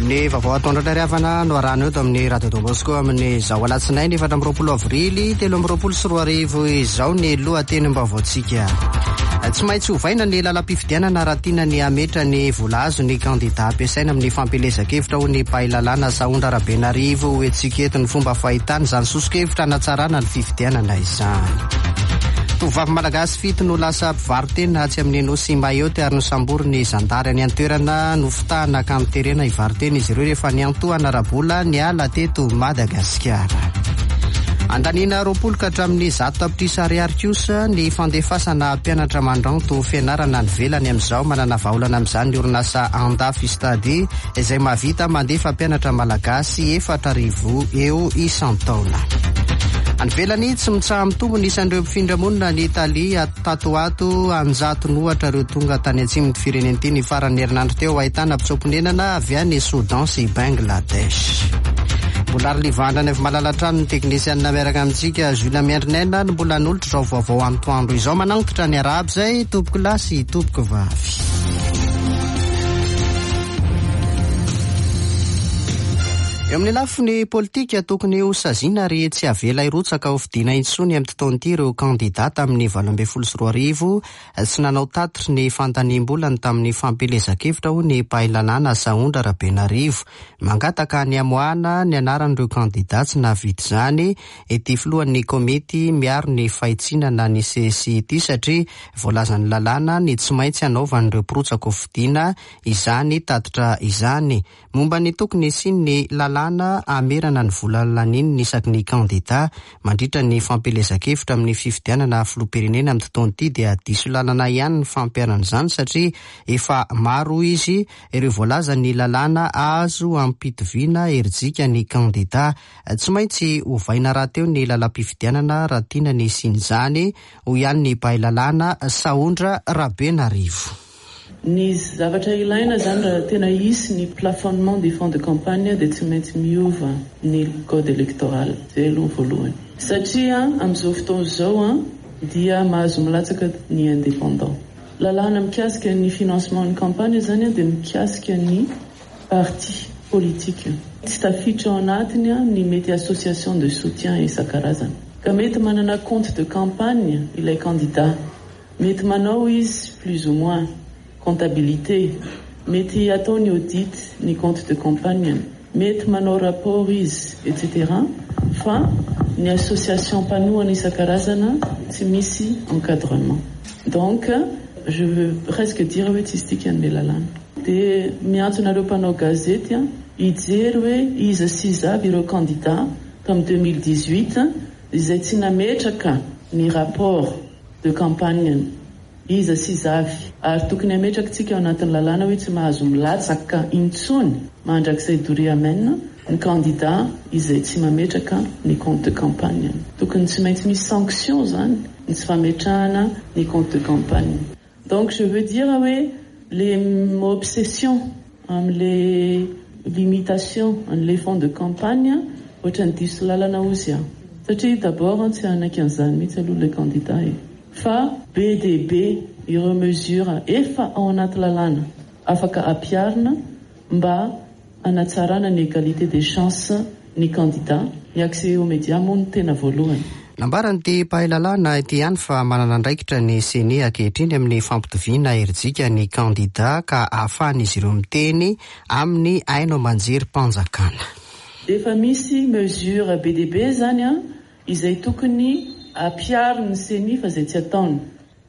Ny vaovao atoandro indray ry havana no arahana eto amin'ny Radio Don Bosco amin'izao alatsinainy 24 avrily 2023 izao ny lohatenim-baovaontsika. Tsy maintsy ovaina ny lalam-pifidianana raha tiana ny hametra ny vola azon'ny kandida ampiasaina amin'ny fampielezan-kevitra hoy ny mpahay lalàna Sahondra Rabenarivo ho entintsika eto ny fomba fahitany izany soso-kevitra hanatsarana ny fifidianana izany. Tovovavy malagasy fito no lasa mpivaro-tena atsy amin'ny nosy Mayotte ary nosamborin'ny zandary any an-toerana. Nofitahana ka noterena hivaro-tena izy ireo rehefa niantohana ara-bola niala teto Madagasikara. Andaniana 20 ka hatramin'ny 100 tapitrisa ariary kosa ny fandefasana mpianatra mandranto fianarana any ivelany amin'izao. Manana vahaolana amin'izany ny orinasa Andafy Study izay mahavita mandefa mpianatra malagasy 4000 eo isan-taona. Any ivelany, tsy mitsaha-mitombo ny isan'ireo mpifindra monina any Italia tato ho ato. An-jatony ohatra ireo tonga tany atsimon'ity firenena ity ny faran'ny herinandro teo, ahitana mpitsoa-ponenana avy any Soudan sy Bangladesh. Mbola ary Livandra any avy malala hatrany ny teknisianina miaraka amintsika Jules Miandrinaina no mbola hanolotra izao vaovao antoandro izao. Manantitra ny arahaba izay tompoko lahy sy tompoko vavy. Eo amin'ny lafiny politika, tokony ho saziana ary tsy avela hirotsaka ho fidiana intsony amin'ity taona ity ireo kandidà tamin'ny 2018 tsy nanao tatitry ny fandaniam-bolany tamin'ny fampielezan-kevitra, hoy ny mpahay lalàna Sahondra Rabenarivo. Mangataka ny hamoahana ny anaran'ireo kandidà tsy nahavita izany ity filohan'ny komity miaro ny fahitsiana na ny CSI ity satria voalazan'ny lalàna ny tsy maintsy hanaovan'ireo mpirotsaka ho fidiana izany tatitra izany. Momba ny tokony hisian'ny lalàna hamerana ny vola lanin'ny isaky ny kandidà mandritra ny fampielezan-kevitra amin'ny fifidianana filoham-pirenena amin'ity taona ity dia diso lalana ihany ny fampiharana izany satria efa maro hoy izy ireo voalazan'ny lalàna azo ampitoviana herijika ny kandidà. Tsy maintsy ovaina rahateo ny lalam-pifidianana raha tiana ny hisian'izany, hoy ihany ny mpahay lalàna Sahondra Rabenarivo. Ny zavatra ilaina izany raha tena hisy ny plafonnement des fonds de campagne dia tsy maintsy miova ny code électoral. Izay aloha ny voalohany. Satria amin'izao fotoana izao dia mahazo milatsaka ny indépendant. Lalàna mikasika ny financement ny campagne izany dia mikasika ny parti politique. Tsy tafiditra ao anatiny ny mety association de soutien isan-karazany. Ka mety manana compte de campagne ilay candidat. Mety manao izy plus ou moins comptabilité, mety ataony audit ny compte de campagne-ny, mety manao rapport izy etc. Fa ny association mpanohana isan-karazana tsy misy encadrement. Donc je veux presque dire hoe tsisy dikany le lalàna. Dia miantso anareo mpanao gazety hijery hoe iza sy iza avy ireo candidats tamin'ny 2018 izay tsy nametraka ny rapport. de campagne-ny. Iza sy iza avy? Ary tokony hametraka tsika ao anatin'ny lalàna hoe tsy mahazo milatsaka intsony mandrakizay doria amen ny candidat izay tsy mametraka ny compte de campagne-ny. Tokony tsy maintsy misy sanction zany ny tsy fametrahana ny compte de campagne. Donc je veux dire hoe le obsession amle limitation anle fonds de campagne ohatrany diso lalana ozy aho satria d'abord tsy hanaiky an'izany mihitsy aloha le candidat e! Fa be dia be ireo mesures efa ao anaty lalàna afaka ampiharina mba hanatsarana ny égalité des chances ny candidat, ny accès aux médias moa no tena voalohany. Nambaran'ity mpahay lalàna ity ihany fa manana andraikitra ny Ceni ankehitriny amin'ny fampitoviana herijika ny kandidà ka ahafahan'izy ireo miteny amin'ny haino aman-jerim-panjakana. Efa misy mesure be dia be izany izay tokony ampiharin'ny Ceni fa izay tsy ataony.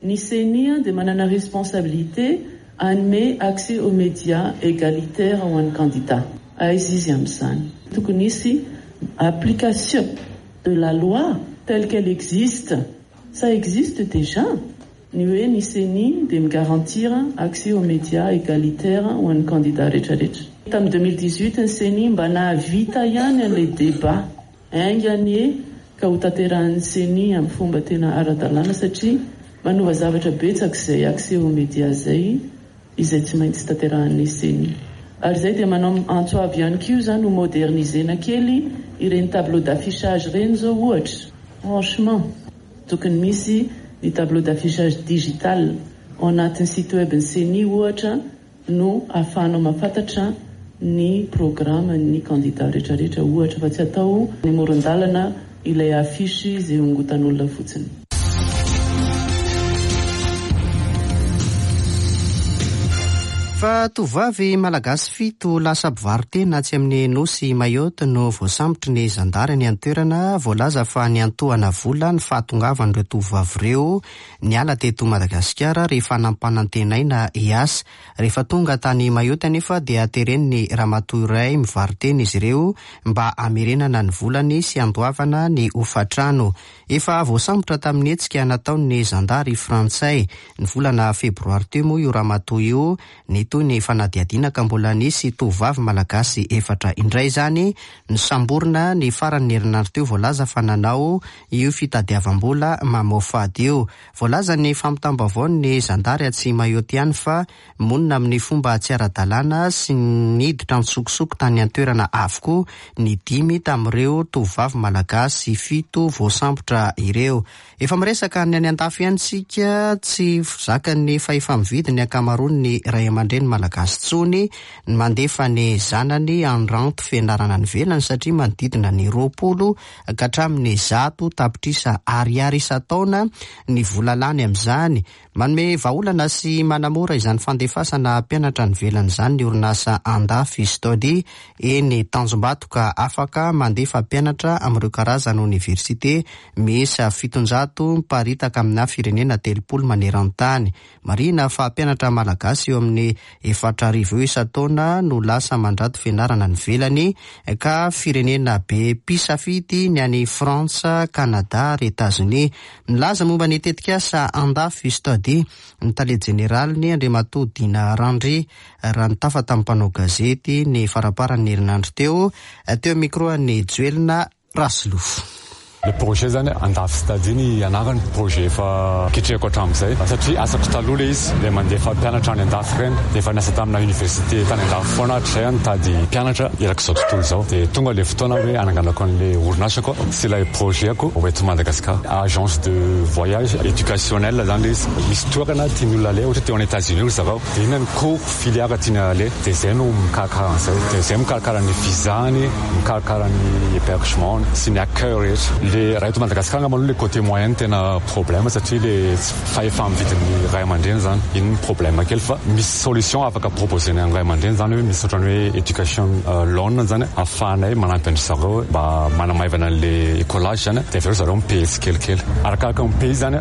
Ny Ceni dia manana responsabilité hanome accès aux médias égalitaire ho an'ny candidat. Aiza izy amin'izany? Tokony hisy application de la loi telle qu'elle existe. Ça existe déjà ny hoe ny Ceni dia mi-garantir accès aux médias égalitaire ho an'ny candidat rehetrarehetra. Tamin'ny 2018 ny Ceni mba nahavita ihany an'ilay débat. Enga anie ka ho tanterahin'ny Ceni amin'ny fomba tena ara-dalàna satria manova zavatra betsaka izay accès aux médias izay, izay tsy maintsy tanterahin'ny Ceni. Ary izay dia manao antso avo ihany koa izany ho moderniser-na kely ireny tableau d'affichage ireny izao ohatra. Franchement, tokony misy ny tableau d'affichage digital ao anatin'ny site web ny Ceni ohatra no ahafahanao mahafantatra. ny programan'ny kandida rehetrarehetra ohatra fa tsy atao any amoron-dalana ilay affiche izay hongotan'olona fotsiny. Fa tovovavy malagasy fito lasa mpivaro-tena atsy amin'ny nosy Mayotte no voasambotry ny zandary any an-toerana. Voalaza fa niantohana vola ny fahatongavan'ireo tovovavy ireo niala teto Madagasikara rehefa nampanantenaina hiasa. Rehefa tonga tany Mayotte anefa dia teren'ny ramatoa iray mivaro-tena izy ireo mba hamerenana ny volany sy handoavana ny hofantrano. Efa voasambotra tamin'ny hetsika nataon'ny zandary frantsay ny volana febroary teo moa io ramatoa io. Nitohy ny fanadihadiana ka mbola nisy tovovavy malagasy efatra indray izany nosamborina ny faran'ny herinandro teo voalaza fa nanao io fitadiavam-bola mamoafady io. Voalazan'ny fampitam-baovaon'ny zandary atsy Mayotte ihany fa monina amin'ny fomba tsy ara-dalàna sy niditra an-tsokosoko tany an-toerana avokoa ny dimy tamin'ireo tovovavy malagasy fito voasambotra ireo. Efa miresaka ny any an-dafy ihany isika, tsy zakan'ny fahefa-mividy ny ankamaroan'ny ray aman-dreny malagasy intsony ny mandefa ny zanany handranto fianarana any ivelany satria manodidina ny 20 ka hatramin'ny 100 tapitrisa ariary isan-taona ny vola lany amin'izany. Manome vahaolana sy manamora izany fandefasana mpianatra any ivelany izany ny orinasa Andafy Study eny Tanjombato, ka afaka mandefa mpianatra amin'ireo karazana oniversite miisa 700 miparitaka amina firenena 30 maneran-tany. Marihina fa mpianatra malagasy eo amin'ny 4000 eo isan-taona no lasa mandrato fianarana any ivelany, ka firenena be mpisafidy ny any Frantsa, Kanada ary Etazonia. Milaza momba ny tetikasa Andafy Study ny tale jeneraliny, Andriamatoa Dina Randry, raha nitafa tamin'ny mpanao gazety ny faramparan'ny herinandro teo, teo micro-n'ny Joelina Rasolofo. Le projet zany, Andafy Study ny anarany, projet efa ketrehako hatramin'izay satria asako taloha le izy, le mandefa mpianatra any andafy reny. De efa niasa tamina université tany andafy foana hatrizay aho, nitady mpianatra erak'izao tontolo izao. De tonga le fotoana hoe ananganako an'le orinasako sy ilay projet-ko ho eto Madagasikara. Agence de voyage éducationnel zany le izy. Misy toerana tian'ny olona aleha, ohatra teo any États-Unis ry zareo, de inona ny cours, filière tiana aleha, de zay no mikarakara an'izay, de zay mikarakara ny visa-ny, mikarakara ny hébergement sy ny accueil rehetra. Le raha eto Madagasikara angamba aloha, le côté moyen tena problème satria le fahefa-mividin'ny ray aman-dreny zany, iny ny problème kely, fa misy solution afaka proposer-na ny ray aman-dreny zany, hoe misy ohatrany hoe education loan zany ahafahanay manampy an-dry zareo mba manamaivana an'le écolage zany. De avy eo zareo mi-paye tsikelikely arakaraka mi-paye zany,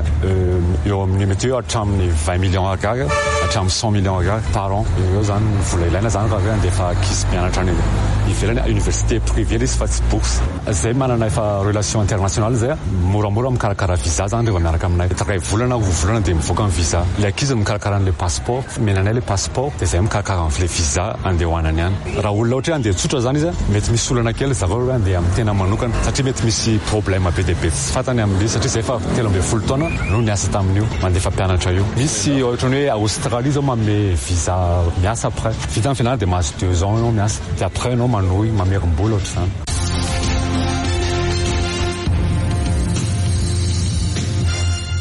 eo amin'ny mety hoe hatramin'ny 20 millions ariary hatramin'ny 100 millions ariary par an eo zany ny vola ilaina zany raha hoe andefa ankizy mianatra any ivelany, université privée izy fa tsy bourse. Zay manana efa relation internationale zay, moramora mikarakara visa zany rehefa miaraka aminay, 1 volana, 2 volana de mivoaka ny visa. Le ankizy mikarakara an'le passeport, omenanay le passeport, de zay mikarakara an'le visa andeha hoanany any. Raha olona ohatra hoe andeha tsotra zany izy, mety misy olana kely zareo hoe andeha amin'ny tena manokana satria mety misy problème be dia be tsy fantany amin'le, satria zay efa 13 taona no niasa tamin'io mandefa mpianatra io. Misy ohatrany hoe Australie zao manome visa miasa, après vita ny fianarana de mahazo 2 ans anao miasa, de après anao manohy mamerim-bola ohatr'izany.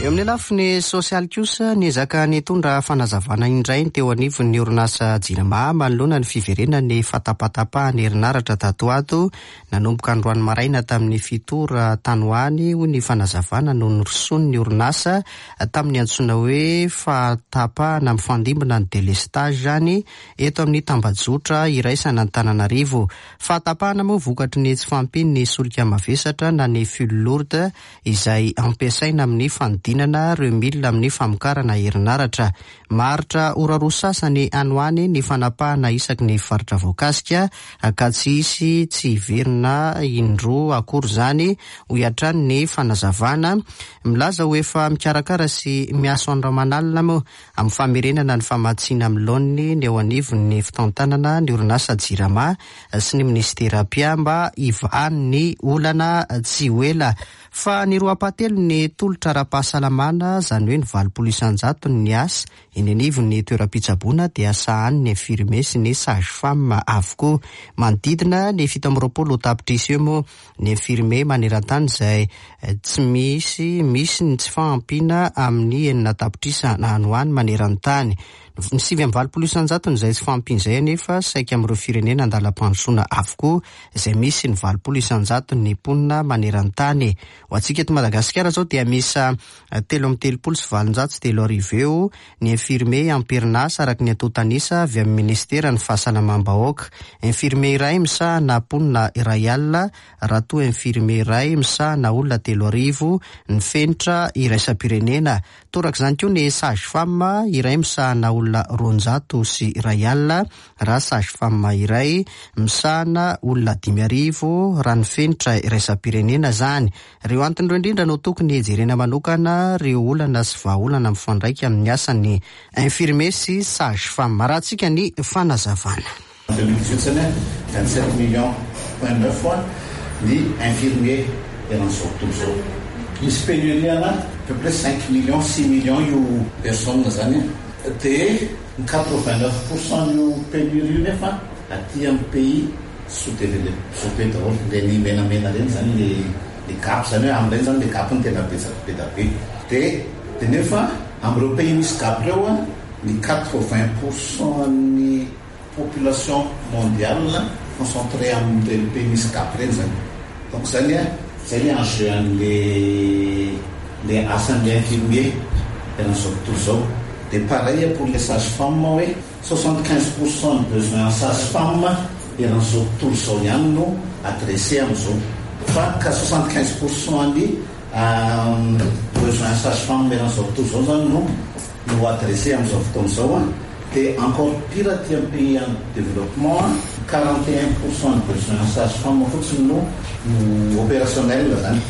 Eo amin'ny lafiny sosialy kosa, niezaka nitondra fanazavana indray ny teo anivon'ny orinasa Jirama manoloana ny fiverenany fahatapatapahan'ny herinaratra tato ato nanomboka androany maraina tamin'ny 7 ora tany ho any, hoy ny fanazavana no niroson'ny orinasa tamin'ny antsoina hoe fahatapahana mifandimbina ny délestage zany eto amin'ny tambajotra iraisana Antananarivo. Fahatapahana moa vokatry ny tsy fahampian'ny solika mavesatra na ny fioul lourd izay ampiasaina amin'ny fanodinana reo milina amin'ny famokarana herinaratra. Maharitra ora roa sasany any ho any ny fanapahana isaky ny faritra voakasika, ka tsy hisy tsy hiverina indroa akory zany, hoy hatrany ny fanazavana. Milaza ho efa mikarakara sy miasa andro aman'alina moa amin'ny famerenana ny famatsiana amin'ny laoniny ny eo anivon'ny fitantanana ny orinasa Jirama sy ny ministera mpia mba hivahan'ny olana tsy ho ela. Fa ny roa ampahatelo ny tolotra ara-pahasalamana, zany hoe ny 80% ny asa eny anivon'ny toeram-pitsaboana, dia sahanin'ny infirmier sy ny sage femme avokoa. Manodidina ny 27 tapitrisa eo moa ny infirmier maneran-tany, izay tsy misy misy ny tsy fahampiana amin'ny 6 tapitrisa any ho any maneran-tany. Ny 89 isan-jaton'izay tsy fahampiana izay anefa saika amin'ireo firenena andalam-pandrosoana avokoa izay misy ny 80 isan-jaton'ny mponina maneran-tany. Ho antsika eto Madagasikara izao dia miisa 3833 eo ny infirmier am-perinasa araka ny antontan'isa avy amin'ny minisiteran'ny fahasalamam-bahoaka. Infirmier iray misahana mponina 1000 raha toa infirmier iray misahana olona 3000 ny fenitra iraisam-pirenena. Torak'izany koa ny sage femme iray misahana olona 201 raha sage femme iray misahana olona 5000 raha ny fenitra iraisam-pirenena izany. Ireo antony ireo indrindra no tokony hijerena manokana ireo olana sy vahaolana mifandraika amin'ny asan'ny infirmier sy sage femme. Arahantsika ny fanazavana. En 2018 zany a, 27 millions point neuf ny infirmier eran'izao tontolo izao. Misy pénurie ana à peu près 5 millions, 6 millions io personne zany a. Dia ny 89 pour cent an'io pénurie io nefa aty amin'ny pays sous développé daholo. Ireny menamena ireny zany le le gap zany hoe amin'ireny zany le gap no tena betsaka be da be. Dia dia nefa amin'ireo pays misy gap ireo a, ny 80 pour cent an'ny population mondiale concentré amin'ireny pays misy gap ireny zany. Donc zany a, zay le enjeu an'le le asan'le infirmier eran'izao tontolo izao. De pareil pour les sage femme hoe 75 pour cent ny besoin en sage femme eran'izao tontolo izao ihany no adressé amin'izao. Fa ka 75 pour cent ny besoin en sage femme eran'izao tontolo izao zany no no adressé amin'izao fotoana izao a. Dia encore pire aty amin'ny pays en développement a, 41 % ny besoin en sage femme fotsiny no no opérationnel zany.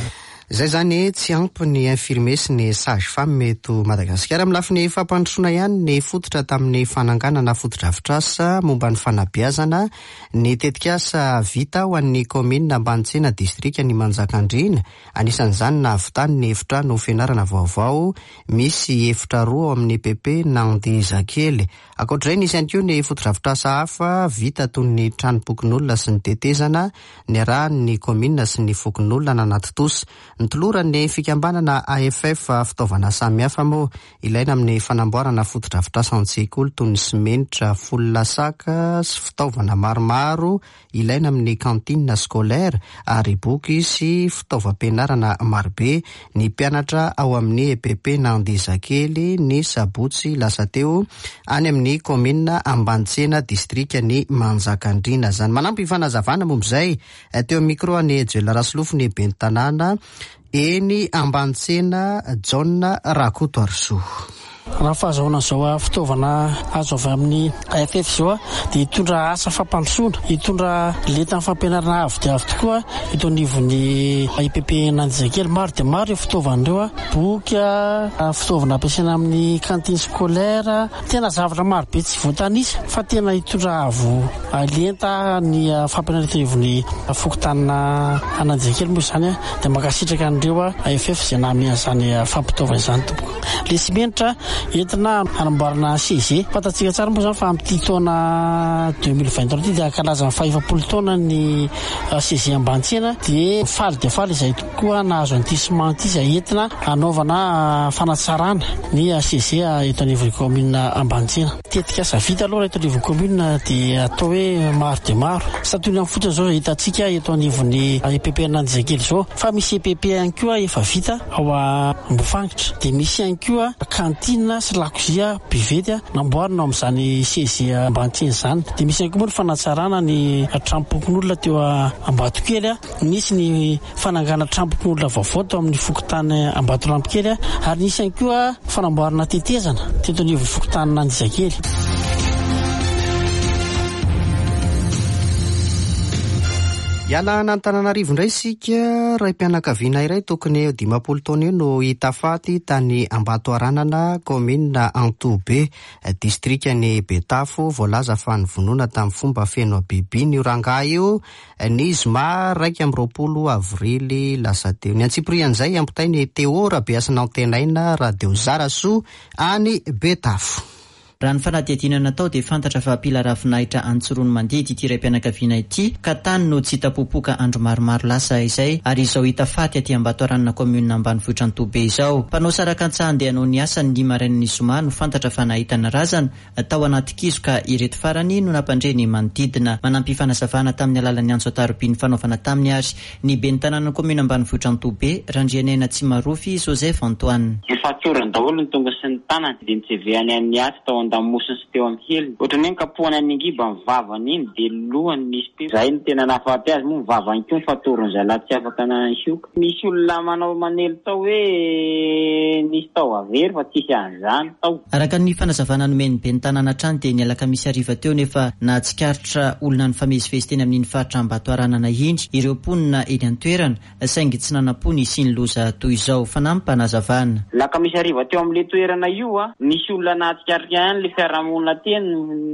Zay zany, tsy ampy ny infirmier sy ny sage femme eto Madagasikara. Amin'ny lafiny fampandrosoana ihany, ny fototra tamin'ny fananganana fotodrafitrasa momba ny fanabeazana ny tetikasa vita ho an'ny kaominina Ambanitsena, distrika ny Manjakandriana. Anisan'izany nahavitany ny efitrano fianarana vaovao misy efitra roa ao amin'ny EPP Nandizakely. Ankoatr'izay, nisy ihany koa ny fotodrafitrasa hafa vita toy ny tranom-pokonolona sy ny tetezana niarahan'ny kaominina sy ny fokonolona nanatontosa. Nitoloran'ny fikambanana AFF fitaovana samihafa moa ilaina amin'ny fanamboarana fotodrafitrasa an-tsekoly toy ny simenitra, folona saka sy fitaovana maromaro ilaina amin'ny cantine scolaire ary boky sy fitaovam-pianarana marobe ny mpianatra ao amin'ny EPP Nandizakely ny sabotsy lasa teo any amin'ny kaominina Ambanitsena, distrika ny Manjakandriana. Zany manampy fanazavana momba izay teo amin'ny micro any Joel Rasolofo ny ben'ny tanàna eny Ambanitsena, Jaona Rakotoarisoa. Raha fahazahoana izao fitaovana azo avy amin'ny AFF izao dia hitondra asa fampandrosoana, hitondra lentan'ny fampianarana avo dia avo tokoa eto anivon'ny EPP Nandizakely. Maro dia maro ireo fitaovana ireo, boky, fitaovana ampiasaina amin'ny cantine scolaire, tena zavatra maro be tsy voatanisa fa tena hitondra avo lenta ny fampianarana eto anivon'ny fokontany Nandizakely moa izany. Dia mankasitraka an'ireo AFF izay nanome an'izany fampitaovana izany tompoko. Le simenitra entina hanamboarana CG. Fantatsika tsara moa izany fa amin'ity taona 2023 ity dia hankalaza ny faha-efapolo taona ny CG Ambanitsena, dia faly dia faly izahay tokoa nahazo an'ity ciment ity izay entina hanaovana fanatsarana ny CG eto anivon'ny kaominina Ambanitsena. Tetikasa vita aloha raha eto anivon'ny kaominina dia atao hoe maro dia maro. Santionany fotsiny izao izay hitantsika eto anivon'ny EPP Anandizakely izao, fa misy EPP ihany koa efa vita ao Ambofangitra. Dia misy ihany koa cantine sy lakozia buvette namboarina ao amin'izany CG Ambanitsena izany. Dia misy ihany koa moa ny fanatsarana ny tranom-pokonolona teo Ambatokely. Nisy ny fanangana tranom-pokonolona vaovao tao amin'ny fokontany Ambatolampikely ary nisy ihany koa fanamboarana tetezana teto anivon'ny fokontanin'Andizakely. Hiala an'Antananarivo indray isika. Raim-pianakaviana iray tokony ho 50 taona eo no hita faty tany Ambatoaranana, kaominina Antohobe, distrikan'i Betafo. Voalaza fa novonoina tamin'ny fomba feno habibiana io rangahy io ny zoma 21 avrily lasa teo. Ny antsipirian'izay ampitain'i Théo Rabehasinantenaina, Radio Zarasoa any Betafo. Raha ny fanadihadiana natao dia fantatra fa mpila ravinahitra any Tsiroanomandidy ity raim-pianakaviana ity ka tany no tsy hita popoka andro maromaro lasa izay ary izao hita faty aty Ambatoaranina kaominina ambanivohitra Antohobe izao. Mpanao saraka an-tsaha andeha hanao ny asany ny marainan'ny zoma no fantatra fa nahita ny razana tao anaty kizo ka ireto farany no nampandre ny manodidina. Manampy fanazavana tamin'ny alalan'ny antso an-taroby nifanaovana taminy ary ny ben'ny tanànan'ny kaominina ambanivohitra Antohobe, Randrianena Tsimarofy Joseph Antoine. Nofatorany daholo ny tongony sy ny tanany, dia nitsevehany an'ny aty tao an-damosiny sy teo amin'ny heliny. Ohatran'ny hoe nikapohany an'ny angiba ny vavany iny, dia lohany nisy teo. Izay no tena nahafaty azy moa, ny vavany koa nofatorin'ny zalahy tsy afaka nahioka. Misy olona manao manely tao hoe nisy taova very fa tsisy an'izany tao. Araka ny fanazavana nomen'ny ben'ny tanàna hatrany dia ny alakamisy hariva teo no efa nahatsikaritra olona nifamezivezy teny amin'iny faritra Ambatoaranana iny ireo mponina eny an-toerana saingy tsy nanam-po ny hisian'ny loza toy izao. Fanampim-panazavana. Alakamisy hariva teo amin'ilay toerana io, nisy olona nahatsikaritra ihany ilay fiarahamonina teny,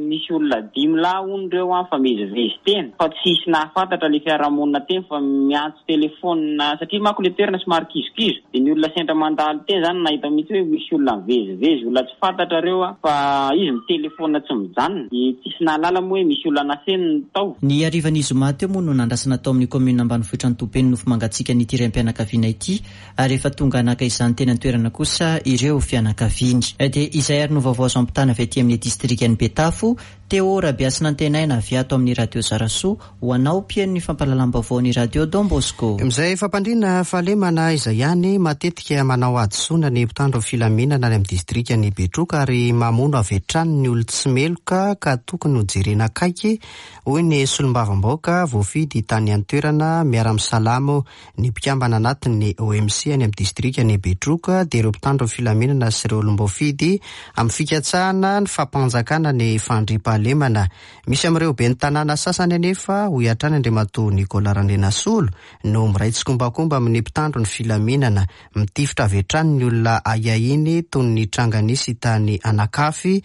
nisy olona dimy lahy hono ireo nifamezivezy teny fa tsisy nahafantatra ilay fiarahamonina teny fa miantso telephone satria manko le toerana somary kizokizo de ny olona sendra mandalo teny zany nahita mihitsy hoe misy olona mivezivezy olona tsy fantatra reo a fa izy mitelephone tsy mijanona de tsisy nahalala moa hoe misy olona nafeniny tao. Ny harivan'ny zoma teo moa no nandrasana tao amin'ny kaominina ambanivohitra Antobe ny nofo mangatsiakan'ity raim-pianakaviana ity ary efa tonga naka izany teny an-toerana kosa ireo fianakaviany. Dia izay ary no vaovao azo ampitana avy aty amin'ny distrikan'i Betafo Théo Rabehasinantenaina avy ato amin'ny Radio Zarasoa ho anao mpihaino ny fampahalalam-baovaon'ny Radio Don Bosco. Amin'izay fampandriana fahalemana izay ihany, matetika manao hadisoana ny mpitandro filaminana any amin'ny distrikan'i Betroka ary mamono avy hatrany ny olon-tsy meloka ka tokony hojerena akaiky, hoy ny solombavambahoaka voafidy tany an-toerana miara-misalamo Ny mpikambana anatin'ny OMC any amin'ny distrikan'i Betroka dia ireo mpitandro ny filaminana sy ireo olom-boafidy amin'ny fikatsahana ny fampanjakana ny fandriampahalemana. Misy amin'ireo ben'ny tanàna sasany anefa, hoy hatrany Andriamatoa Nicolas Randrianasolo, no miray tsikombakomba amin'ny mpitandro ny filaminana, mitifitra avy hatrany ny olona ahiahiany toy ny tranga nisy tany Anakafy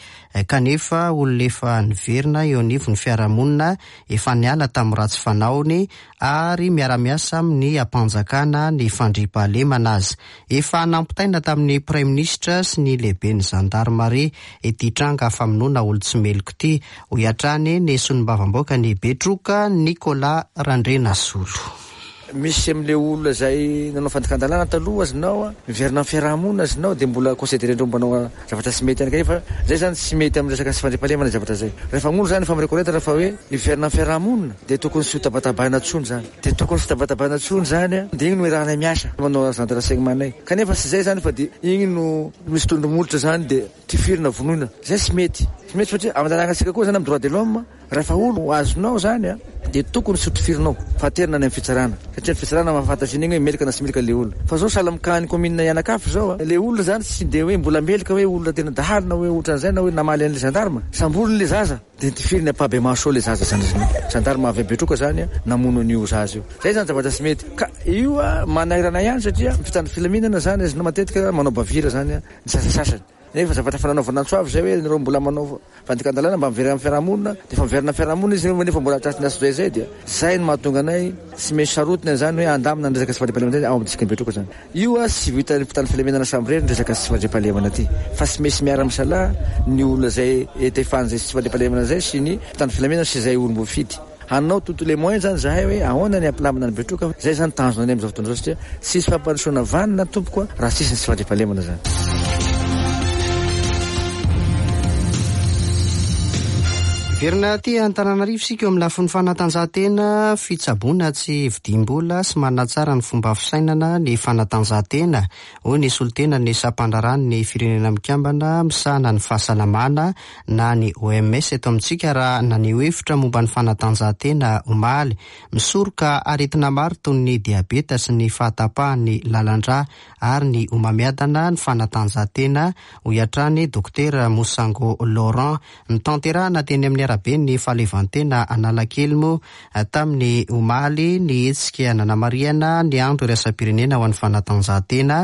kanefa olona efa niverina eo anivon'ny fiarahamonina efa niala tamin'ny ratsy fanaony ary miara-miasa amin'ny ampanjakana ny fandriampahalemana aza. Efa nampitaina tamin'ny Praiminisitra sy ny lehiben'ny zandarimaria ity tranga famonoana olon-tsy meloka ity, hoy hatrany ny solombavambaokan'i Betroka, Nicolas Randrianasolo. Misy amin'ilay olona izay nanao fandikan-dalàna taloha azinao, miverina amin'ny fiaraha-monina azinao dia mbola considérer-ndreo mpanao zavatra tsy mety ihany kanefa izay izany tsy mety amin'ny resaka tsy fandriampahalemana zavatra izay. Rehefa olona izany efa mi-reconnaitre fa hoe hiverina amin'ny fiaraha-monina dia tokony tsy ho tabatabaina intsony izany. Dia tokony tsy ho tabatabaina intsony izany an, dia igny no iarahanay miasa manao agent de renseignement nay. Kanefa tsy izay izany fa dia igny no misy tondro molotra izany dia tifirina vonoina. Izay tsy mety. Tsy mety satria amin'ny lalànantsika koa izany amin'ny droit de l'homme, Rehefa olo azonao zany a de tokony tsy ho tifirinao fa aterina any am fitsarana satria ny fitsarana mahafantatra an'igny hoe meloka na tsy meloka le olona fa zao sahala am cas ny commune Ianakafy zao a le olona zany tsy de hoe mbola meloka hoe olona tena dahalo na hoe otran'izay na hoe namaly an'le gendarme samboriny le zaza de tifiriny ampahibemaso eo le zaza zany gendarme avy Betroka zany a namono an'io zaza io zay zany zavatra tsy mety ka io a manairana ihany satria mpitandro filaminana zany azonao matetika manao bavure zany a ny sasasasany. Nefa zavatra efa nanaovana antso avo izay hoe nareo mbola manao fandikan-dalàna mba miverena amin'ny fiarahamonina, dia efa miverina amin'ny fiarahamonina izy nefa mbola tratry ny antsojay izay dia izay no mahatonga anay tsy maintsy sarotiny an'izany hoe handamina ny resaka tsy fandriampahalemana izay ao amin'ny distrikan'i Betroka izany. Io a tsy vitan'ny mpitandro filaminana samirery ny resaka tsy fandriampahalemana ity fa tsy maintsy miara-misalahy ny olona izay etefan'izay tsy fandriampahalemana izay sy ny mpitandro filaminana sy izay olom-boafidy. Hanao tous les moyens zany zahay hoe ahoana ny hampilamina an'i Betroka, zay zany tanjona anay amin'izao fotoana izao satria tsisy fampandrosoana vanona tompoko a raha tsisy ny tsy fandriampahalemana zany. Miverina aty Antananarivo isika eo amin'ny lafiny fanatanjahantena, fitsaboana tsy vidiam-bola sy manatsara ny fomba fisainana ny fanatanjahantena, hoy ny solontenan'ny sampandraharahan'ny Firenena Mikambana misahana ny fahasalamana na ny OMS eto amintsika raha naneho hevitra momba ny fanatanjahantena omaly. Misoroka aretina maro toy ny diabeta sy ny fahatapahan'ny lalan-drà ary ny homamiadana ny fanatanjahantena, hoy hatrany Dokotera Mosango Laurent. Notanterahina teny amin'ny. araben'ny Fahaleovantena Analakely moa tamin'ny omaly ny hetsika nanamarihana ny andro iraisam-pirenena ho an'ny fanatanjahantena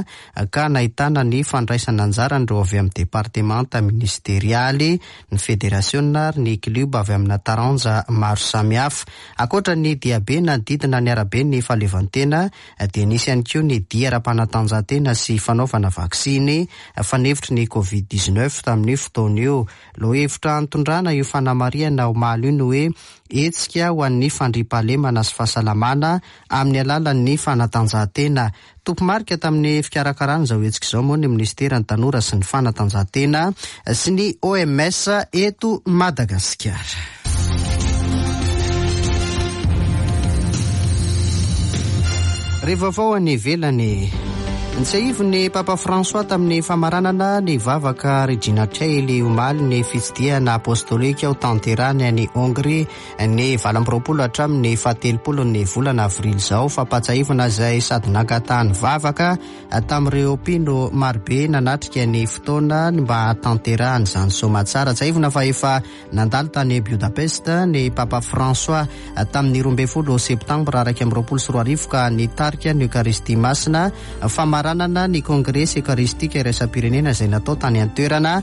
ka nahitana ny fandraisana anjaran'ireo avy amin'ny departemanta ministerialy, ny federasiona ary ny klioba avy amina taranja maro samihafa. Ankoatra ny diabe nanodidina ny araben'ny Fahaleovantena dia nisy ihany koa ny dia ara-panatanjahantena sy fanaovana vaksiny fanefitry ny Covid 19 tamin'io fotoana io. Lohahevitra nitondrana io fanamarihana omaly io ny hoe Hetsika ho an'ny fandriampahalemana sy fahasalamana amin'ny alalan'ny fanatanjahantena. Tompomarika tamin'ny fikarakarana izao hetsika izao moa ny minisiteran'ny Tanora sy ny fanatanjahantena sy ny OMS eto Madagasikara. Re vaovao any ivelany. Ntsiahivin'ny Papa François tamin'ny famaranana ny vavaka Regina Caeli omaly ny fitsidihana apostolika ho tanterahany any Hongrie ny 28 hatramin'ny fahatelopolo ny volana avrily izao. Fampahatsiahivana izay sady nangatahany vavaka tamin'ireo mpino marobe nanatrika ny fotoana mba hahatanterahany izany soamatsara. Tsiahivina fa efa Nandalo tany Budapest ny Papa François tamin'ny 12 septambra 2021 ka nitarika ny Eokaristia Masina, famaranana ny Kongresy Ekaristika Iraisam-pirenena izay natao tany an-toerana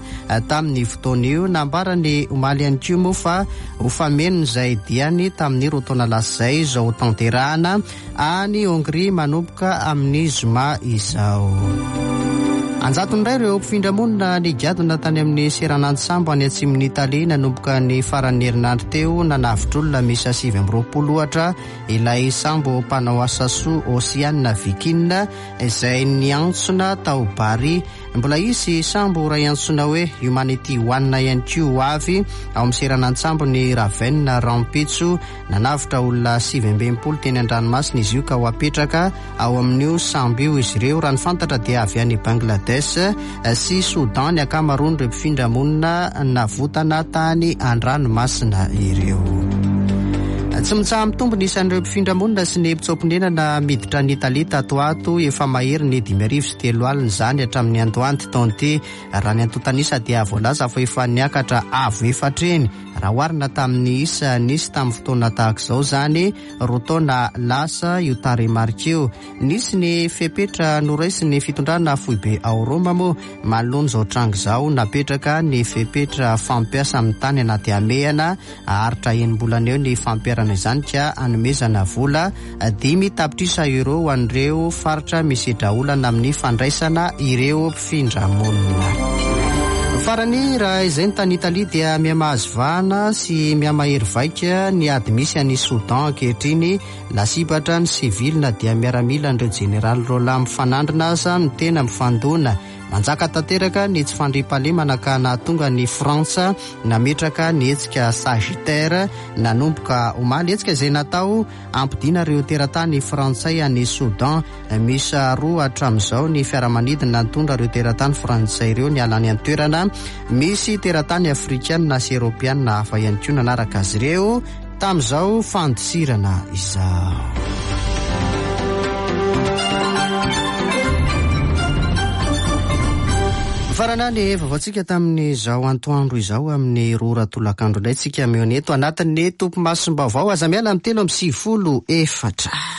tamin'ny fotoana io. Nambarany omaly ihany koa moa fa ho famenon'izay diany tamin'ny roa taona lasa izay izao hotanterahana any Hongrie manomboka amin'ny zoma izao. Anjatony indray ireo mpifindra monina nigadona tany amin'ny seranan-tsambo any atsimon'i Italia nanomboka ny faran'ny herinandro teo. Nanavotr'olona miisa 29 ohatra ilay sambo mpanao asa soa Ocean Viking izay niantsona tao Bari. Mbola hisy sambo iray antsoina hoe Humanity One ihany koa ho avy ao amin'ny seranan-tsambon'i Ravenne rahampitso. Nanavotra olona 69 teny an-dranomasina izy io ka ho apetraka ao amin'io sambo io izy ireo. Raha ny fantatra dia avy any Bangladesh sy Soudan ny ankamaroan'ireo mpifindra monina navotana tany an-dranomasina ireo. Tsy mitsaha-mitombo ny isan'ireo mpifindra monina sy ny mpitsoa-ponenana miditra an'i Italia tato ho ato. Efa mahery ny 3500 izany hatramin'ny andohan'ity taona ity. Raha ny antontan'isa dia voalaza fa efa niakatra avo efatra heny Raha oharina tamin'ny isa nisy tamin'ny fotoana tahaka izao izany, roa taona lasa io tarehimarika io. Nisy ny fepetra noraisin'ny fitondrana foibe ao Roma moa manoloana izao tranga izao. Napetraka ny fepetra fampiasa amin'ny tany anaty hamehana. Haharitra enim-bolana eo ny fampiharana izany ka hanomezana vola 5 tapitrisa euros ho an'ireo faritra misedra olana amin'ny fandraisana ireo mpifindramonina. Farany, raha izay ny tany Italia dia mihamahazo vahana sy mihamahery vaika ny ady misy any Soudan ankehitriny. Lasibatra ny sivily na dia miaramilan'ireo jeneraly roalahy mifanandrina aza no tena mifandona. Manjaka tanteraka ny tsy fandriampahalemana ka nahatonga ny Frantsa nametraka ny hetsika Sagittaire nanomboka omaly. Hetsika izay natao hampodiana ireo teratany frantsay any Soudan. Miisa roa hatramin'izao ny fiaramanidina nitondra ireo teratany frantsay ireo niala any an-toerana. Misy teratany afrikanina sy eoropeanina hafa ihany koa nanaraka azy ireo tamin'izao fandosirana izao. Farana ny vaovaontsika tamin'izao antoandro izao amin'ny roa ora tolakandro indray tsika mihaona eto anatin'ny topimasom-baovao. Aza miala amin'ny 93 4.